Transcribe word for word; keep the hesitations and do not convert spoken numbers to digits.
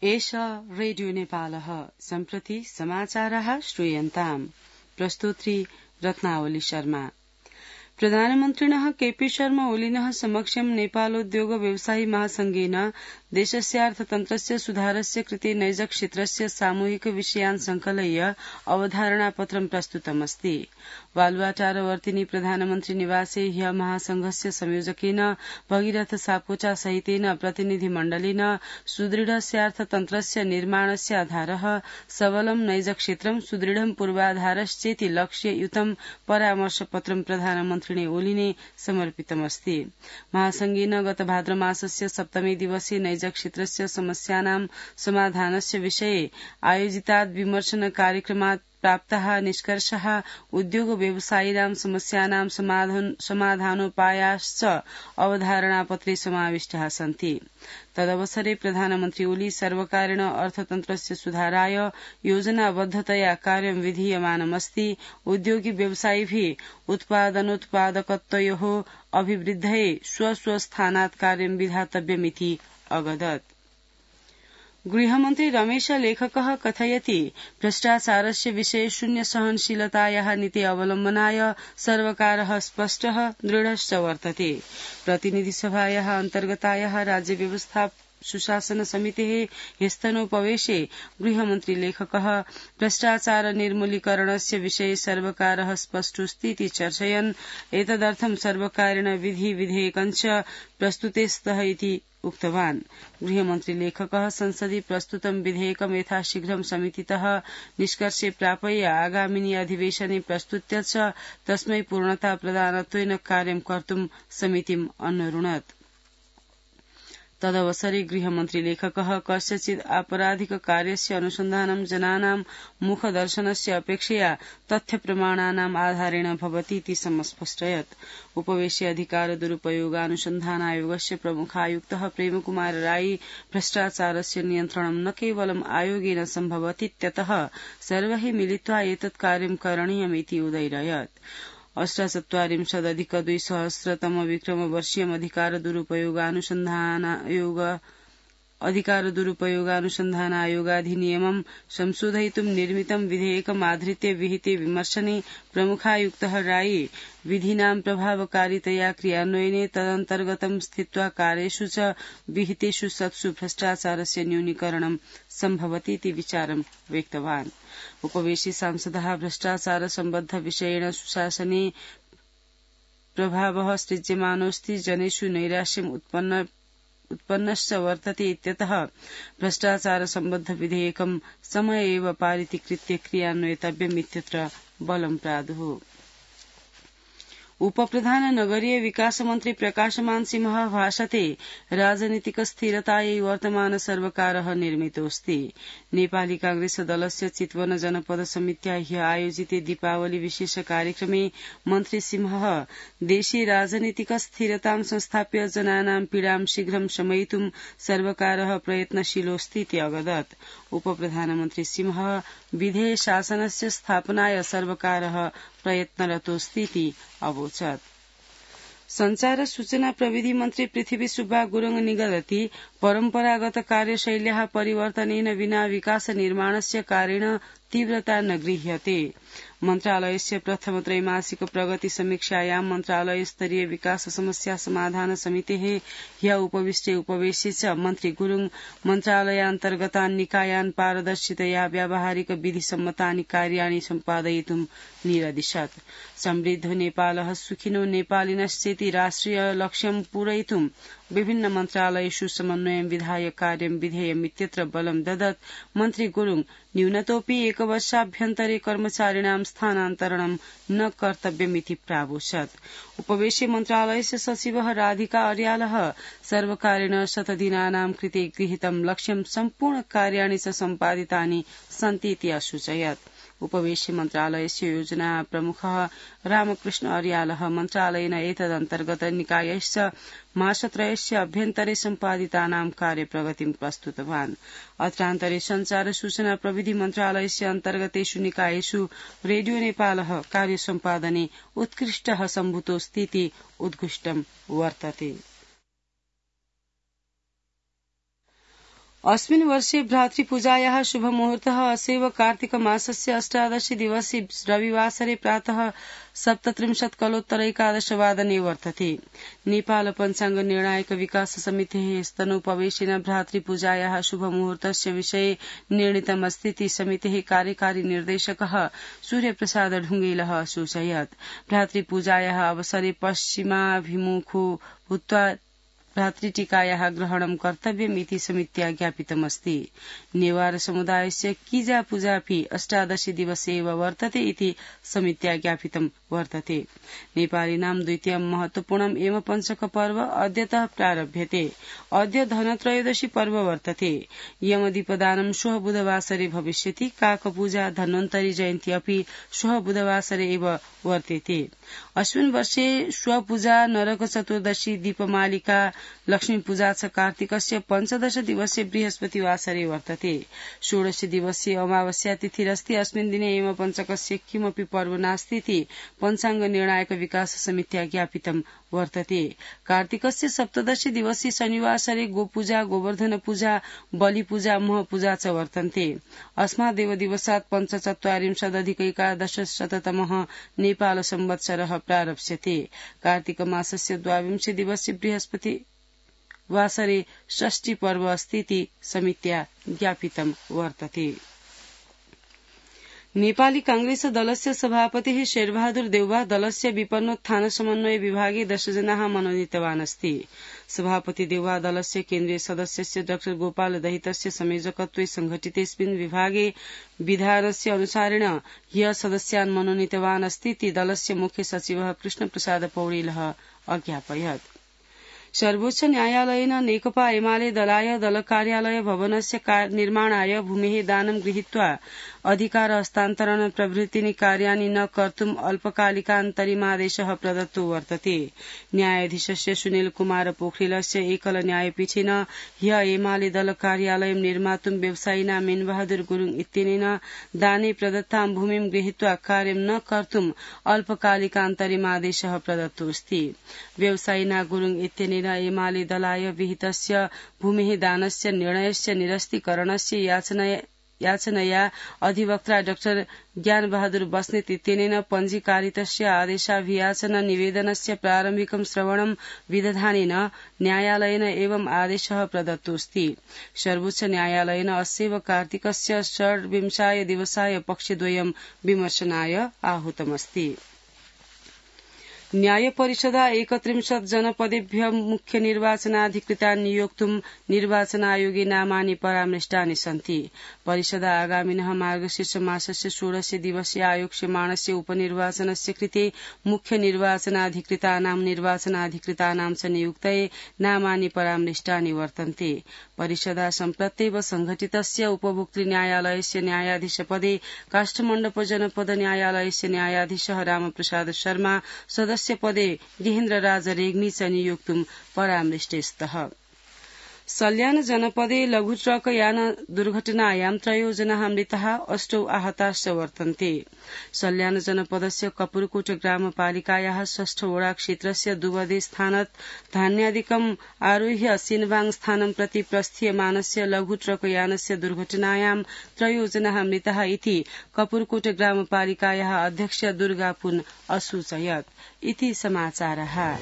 एष रेडियो नेपालः सम्प्रति समाचारः श्रूयन्ताम् प्रस्तुत्री रत्नावली शर्मा। प्रधानमन्त्रिणः केपी शर्मा ओलिनः समक्षं नेपालोद्योग व्यवसायी महासंघेन देशस्य अर्थतन्त्रस्य सुधारस्य कृते नैज क्षेत्रस्य सामूहिक विषयान् संकलय्य अवधारणापत्रं प्रस्तुतमस्ति। बालुवाटारवर्तिनी प्रधानमन्त्री निवासे ह्य महासंघस्य संयोजकेन भगीरथ सापकोटा सहितेन प्रतिनिधिमण्डलेन सुदृढस्य अर्थतन्त्रस्य निर्माणस्य आधारः सबलं नैज क्षेत्रं सुदृढं पूर्वाधारश्चेति लक्ष्ययुतं परामर्शपत्रं प्रधानमन्त्रिणे ओलिने समर्पितमस्ति। महासंघेन गत भाद्रमासस्य सप्तमे दिवसे नैज क्षेत्रस्य समस्यानां समाधानस्य विषये आयोजितात् विमर्शन कार्यक्रमात् प्राप्तः निष्कर्षः उद्योग व्यवसायिनां समस्यानां समाधानोपायाश्च अवधारणापत्रे समाविष्टाः सन्ति। तदवसरे प्रधानमन्त्री ओली सर्वकारेण अर्थतन्त्रस्य सुधाराय योजनाबद्धतया कार्यं विधीयमानमस्ति। उद्योगी व्यवसायिभिः उत्पादनोत्पादकत्वयोः अभिवृद्धये स्वस्वस्थानात् कार्यं विधातव्यमिति अवदत्। गृहमन्त्री रमेश लेखकः कथयति भ्रष्टाचारस्य विषये शून्य सहनशीलतायाः नीति अवलम्बनाय सर्वकारः स्पष्टः दृढश्च वर्तते। प्रतिनिधिसभायाः अन्तर्गतायाः राज्य व्यवस्था सुशासन समितेः ह्यस्तनोपवेशे गृहमन्त्री लेखकः भ्रष्टाचार निर्मूलीकरणस्य विषये सर्वकारः स्पष्टोऽस्तीति चर्चयन् एतदर्थं सर्वकारेण विधि विधेयकञ्च प्रस्तुते इति उक्तवान्। गृहमन्त्री लेखकः संसदि प्रस्तुतं विधेयकं यथाशीघ्रं समितितः निष्कर्षे प्रापय्य आगामिनि अधिवेशने प्रस्तुत्य च तस्मै पूर्णता प्रदानत्वेन कार्यं कर्तुं समितिम् अन्वरुणत्। तदवसरे गृहमन्त्री लेखकः कस्यचित् आपराधिक कार्यस्य अनुसन्धानं जनानां मुखदर्शनस्य अपेक्षया तथ्यप्रमाणानाम् आधारेण भवतीति समस्पष्टयत्। उपवेशे अधिकार दुरुपयोगानुसन्धान आयोगस्य प्रमुखायुक्तः प्रेमकुमार राई भ्रष्टाचारस्य नियन्त्रणं न केवलम् आयोगेन सम्भवतीत्यतः सर्वैः मिलित्वा एतत् कार्यं करणीयमिति उदयरयत्। अष्टचत्वारिंशदधिक द्विसहस्रतम विक्रमवर्षीयम् अधिकार दुरुपयोगानुसन्धानायोग अधिकार दुरुपयोगानुसन्धानायोगाधिनियमं संशोधयितुं निर्मितं विधेयकम् आधृत्य विहिते विमर्शने प्रमुखायुक्तः राई विधीनां प्रभावकारितया क्रियान्वयने तदन्तर्गतं स्थित्वा कार्येषु च विहितेषु सत्सु भ्रष्टाचारस्य न्यूनीकरणं सम्भवतीति विचारं व्यक्तवान्। उपवेशि सांसदः भ्रष्टाचार सम्बद्ध विषयेण सुशासने प्रभावः सृज्यमानोऽस्ति जनेषु नैराश्यम् उत्पन्न उत्पन्नश्च वर्तते इत्यतः भ्रष्टाचार सम्बद्ध विधेयकं समय एव पारितीकृत्य क्रियान्वयितव्यमित्यत्र बलं प्रादुः। उपप्रधान नगरीय विकास मन्त्री प्रकाशमान सिंहः भाषते राजनीतिक स्थिरतायै वर्तमान सर्वकारः निर्मितोऽस्ति। नेपाली कांग्रेस दलस्य चितवन जनपद समित्या ह्य आयोजिते दीपावली विशेष कार्यक्रमे मन्त्री सिंहः देशे राजनीतिक स्थिरतां संस्थाप्य जनानां पीडां शीघ्रं शमयितुं सर्वकारः प्रयत्नशीलोऽस्तीति अवदत्। उपप्रधानमन्त्री सिंहः विधेय शासनस्य स्थापनाय सर्वकारः प्रयत्नरतोऽस्तीति अवोचत्। संचार सूचना प्रविधि मन्त्री पृथ्वी सुब्बा गुरुङ निगदति परम्परागत कार्यशैल्याः परिवर्तनेन विना विकास निर्माणस्य कार्येण तीव्रता न गृह्यते। मन्त्रालयस्य प्रथम त्रैमासिक प्रगति समीक्षायां मन्त्रालय स्तरीय विकास समस्या समाधान समितेः ह्य उपविष्टे उपवेशे च मन्त्री गुरुङ मन्त्रालयान्तर्गतान् निकायान् पारदर्शितया व्यावहारिक विधिसम्मतानि कार्याणि सम्पादयितुं निरदिशत्। समृद्ध नेपालः सुखिनो नेपालिनश्चेति राष्ट्रिय लक्ष्यं पूरयितुं विभिन्न मन्त्रालयेषु समन्वयं विधाय कार्यं विधेयमित्यत्र बलं ददत्। मन्त्री गुरुङ न्यूनतोऽपि एकवर्षाभ्यन्तरे कर्मचारिणां स्थानान्तरणं न कर्तव्यमिति प्रावोचत्। उपवेशे मन्त्रालयस्य सचिवः राधिका अर्यालः सर्वकारेण शतदिनानां कृते गृहीतं लक्ष्यं सम्पूर्ण कार्याणि च सम्पादितानि सन्तीति असूचयत्। उपवेशे मन्त्रालयस्य योजना प्रमुखः रामकृष्ण अर्यालः मन्त्रालयेन एतदन्तर्गत निकायश्च मासत्रयस्य अभ्यन्तरे सम्पादितानां कार्यप्रगतिं प्रस्तुतवान्। अत्रान्तरे संचार सूचना प्रविधि मन्त्रालयस्य अन्तर्गतेषु निकायेषु रेडियो नेपालः कार्यसम्पादने उत्कृष्टः सम्भूतोऽस्तीति उद्घुष्टं वर्तते। अस्मिन् वर्षे भ्रातृपूजायाः शुभमुहूर्तः असेव कार्तिक मासस्य अष्टादशी दिवसे रविवासरे प्रातः सप्तत्रिंशत् कलोत्तरैकादशवादने वर्तते। नेपाल पञ्चाङ्ग निर्णायक विकास समितेः स्तनोपवेशेन भ्रातृपूजायाः शुभमुहूर्तस्य विषये निर्णीतमस्तीति समितेः कार्यकारी निर्देशकः सूर्यप्रसाद ढुङ्गेलः असूचयत्। भ्रातृपूजायाः अवसरे पश्चिमाभिमुखो भूत्वा भ्रातृटीकायाः ग्रहणं कर्तव्यमिति समित्या ज्ञापितमस्ति। नेवार समुदायस्य कीजा पूजापि अष्टादशी दिवसे एव वर्तते इति समित्या ज्ञापितं वर्तते। नेपालीनां द्वितीयं महत्वपूर्णम् एव पञ्चक पर्व अद्यतः प्रारभ्यते। अद्य धनत्रयोदशी पर्व वर्तते। यमदीपदानं श्वः बुधवासरे भविष्यति। काकपूजा धन्वन्तरी जयन्ती अपि श्वः बुधवासरे एव वर्तेते। अस्मिन् वर्षे श्वपूजा नरक चतुर्दशी दीपमालिका लक्ष्मी पूजा च कार्तिकस्य पञ्चदश दिवसे बृहस्पतिवासरे वर्तते। षोडश दिवसीय अमावस्या तिथिरस्ति। अस्मिन् दिने एव पञ्चकस्य किमपि पर्व नास्तीति पञ्चाङ्ग निर्णायक विकास समित्या ज्ञापितं वर्तते। कार्तिकस्य सप्तदशी दिवसे शनिवासरे गोपूजा गोवर्धन पूजा बलिपूजा महपूजा च वर्तन्ते। अस्मादेव दिवसात् पञ्चचत्वारिंशदधिकैकादशशततमः नेपाल संवत्सरः प्रारप्स्यते। कार्तिक मासस्य द्वाविंशे दिवसे बृहस्पति वासरे षष्ठी पर्व अस्तीति समित्या ज्ञापितं वर्तते। नेपाली कांग्रेस दलस्य सभापतिः शेरबहादुर देउवा दलस्य विपन्नोत्थान समन्वय विभागे दशजनाः मनोनीतवान् अस्ति। सभापति देउवा दलस्य केन्द्रीय सदस्यस्य डाक्टर गोपाल दहितस्य संयोजकत्वे संघटितेऽस्मिन् विभागे विधानस्य अनुसारेण ह्यः सदस्यान् मनोनीतवान् अस्ति इति दलस्य मुख्य सचिवः कृष्णप्रसाद पौडेलः अज्ञापयत्। सर्वोच्च न्यायालयेन नेकपा एमाले दलाय दल कार्यालय भवनस्य निर्माणाय भूमेः दानं गृहीत्वा अधिकार हस्तान्तरण प्रभृतीनि कार्याणि न कर्तुम् अल्पकालिकान्तरिमादेशः प्रदत्तो वर्तते। न्यायाधीशस्य सुनील कुमार पोखरेलस्य एकल न्यायपीठेन ह्यः एमाले दल कार्यालयं निर्मातुं व्यवसायिना मीनबहादुर गुरुङ इत्यनेन दाने प्रदत्तां भूमिं गृहीत्वा कार्यं न कर्तुम् अल्पकालिकान्तरिमादेशः प्रदत्तोऽस्ति। व्यवसायिना गुरुङ इत्यनेन एमाले दलाय विहितस्य भूमेः दानस्य निर्णयस्य निरस्तीकरणस्य याचना याचनया अधिवक्ता डाक्टर ज्ञानबहादुर बस्नेत इत्यनेन पञ्जीकारितस्य आदेशाभियाचन निवेदनस्य प्रारम्भिकं श्रवणं विदधानेन न्यायालयेन एवं आदेशः प्रदत्तोऽस्ति। सर्वोच्च न्यायालयेन अस्यैव कार्तिकस्य षड्विंशाय दिवसाय पक्षद्वयं विमर्शनाय आहूतमस्ति। न्याय परिषदा एकत्रिंशत् जनपदेभ्य मुख्य निर्वाचनाधिकृतान् नियोक्तुं निर्वाचनायोगे नामानि परामृष्टानि सन्ति। परिषदा आगामिनः मार्गशीर्ष मासस्य षोडश दिवसीय आयोक्ष्यमाणस्य उपनिर्वाचनस्य कृते मुख्य निर्वाचनाधिकृतानां निर्वाचनाधिकृतानां च नियुक्तये नामानि परामृष्टानि वर्तन्ते। परिषदा सम्प्रत्येव संघटितस्य उपभोक्तृ न्यायालयस्य न्यायाधीशपदे काष्ठमण्डप जनपद न्यायालयस्य न्यायाधीशः रामप्रसाद शर्मा सदस्य पदे गेहेन्द्र राज रेग्मी च नियोक्तुं परामृष्टे स्तः। सल्यान जनपदे लघु ट्रक यान दुर्घटनायां त्रयो जनाः मृताः अष्टौ आहताश्च वर्तन्ते। सल्यान जनपदस्य कपुरकोट ग्रामपालिकायाः षष्ठ वडा क्षेत्रस्य दुवदे स्थानात् धान्यादिकम् आरोह्य सिनबाङ स्थानं प्रति प्रस्थीयमानस्य लघु ट्रक यानस्य दुर्घटनायां त्रयो जनाः मृताः इति कपुरकोट ग्रामपालिकायाः अध्यक्ष दुर्गा पुन असूचयत्। इति समाचारः।